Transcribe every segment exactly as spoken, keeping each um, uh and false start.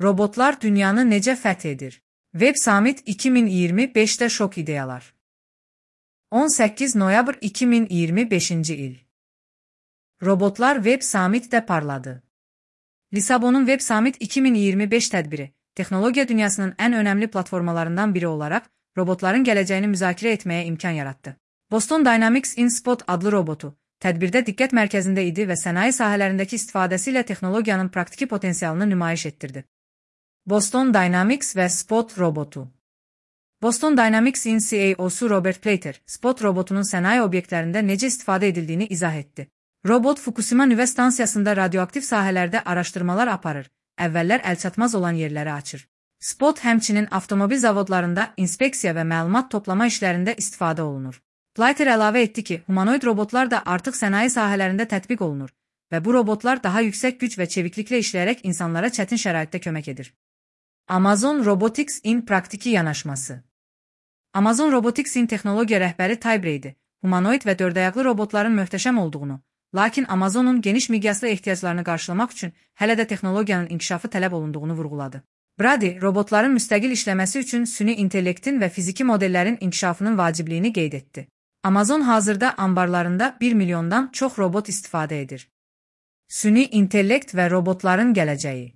Robotlar dünyanı necə fəth edir? Web Summit iki min iyirmi beşdə şok ideyalar. on səkkiz noyabr iki min iyirmi beşinci il. Robotlar Web Summit'də parladı. Lisabonun Web Summit iki min iyirmi beş tədbiri, texnologiya dünyasının ən önəmli platformalarından biri olaraq, robotların gələcəyini müzakirə etməyə imkan yarattı. Boston Dynamics InSpot adlı robotu, tədbirdə diqqət mərkəzində idi və sənaye sahələrindəki istifadəsi ilə texnologiyanın praktiki potensialını nümayiş etdirdi. Boston Dynamics və Spot robotu. Boston Dynamics'in C E O'su Robert Plater, Spot robotunun sənaye obyektlərində necə istifadə edildiyini izah etdi. Robot Fukushima nüvə stansiyasında radioaktiv sahələrdə araşdırmalar aparır, əvvəllər əlçatmaz olan yerləri açır. Spot həmçinin avtomobil zavodlarında inspeksiya və məlumat toplama işlərində istifadə olunur. Plater əlavə etdi ki, humanoid robotlar da artıq sənaye sahələrində tətbiq olunur və bu robotlar daha yüksək güc və çevikliklə işləyərək insanlara çətin şəraitdə kömək edir. Amazon Robotics'in praktiki yanaşması. Amazon Robotics'in texnologiya rəhbəri Ty Brady, humanoid və dördayaqlı robotların möhtəşəm olduğunu, lakin Amazonun geniş miqyaslı ehtiyaclarını qarşılamaq üçün hələ də texnologiyanın inkişafı tələb olunduğunu vurğuladı. Brady, robotların müstəqil işləməsi üçün süni intellektin və fiziki modellərin inkişafının vacibliyini qeyd etdi. Amazon hazırda anbarlarında bir milyondan çox robot istifadə edir. Süni intellekt və robotların gələcəyi.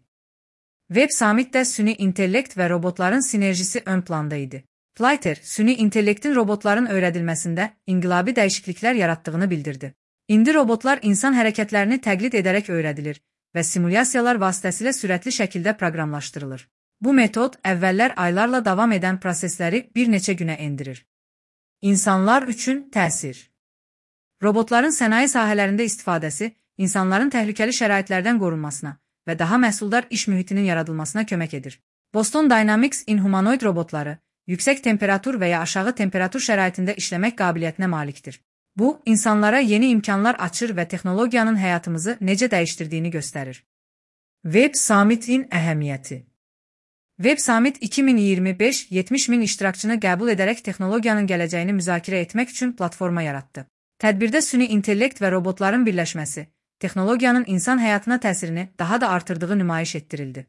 Web Summit'də süni intellekt və robotların sinerjisi ön planda idi. Plater, süni intellektin robotların öyrədilməsində inqilabi dəyişikliklər yaratdığını bildirdi. İndi robotlar insan hərəkətlərini təqlid edərək öyrədilir və simulyasiyalar vasitəsilə sürətli şəkildə proqramlaşdırılır. Bu metod əvvəllər aylarla davam edən prosesləri bir neçə günə endirir. İnsanlar üçün təsir. Robotların sənaye sahələrində istifadəsi, insanların təhlükəli şəraitlərdən qorunmasına və daha məhsuldar iş mühitinin yaradılmasına kömək edir. Boston Dynamics'in humanoid robotları, yüksək temperatur və ya aşağı temperatur şəraitində işləmək qabiliyyətinə malikdir. Bu, insanlara yeni imkanlar açır və texnologiyanın həyatımızı necə dəyişdirdiyini göstərir. Web Summit'in əhəmiyyəti. Web Summit iki min iyirmi beş yetmiş min iştirakçını qəbul edərək texnologiyanın gələcəyini müzakirə etmək üçün platforma yaratdı. Tədbirdə süni intellekt və robotların birləşməsi, texnologiyanın insan həyatına təsirini daha da artırdığı nümayiş etdirildi.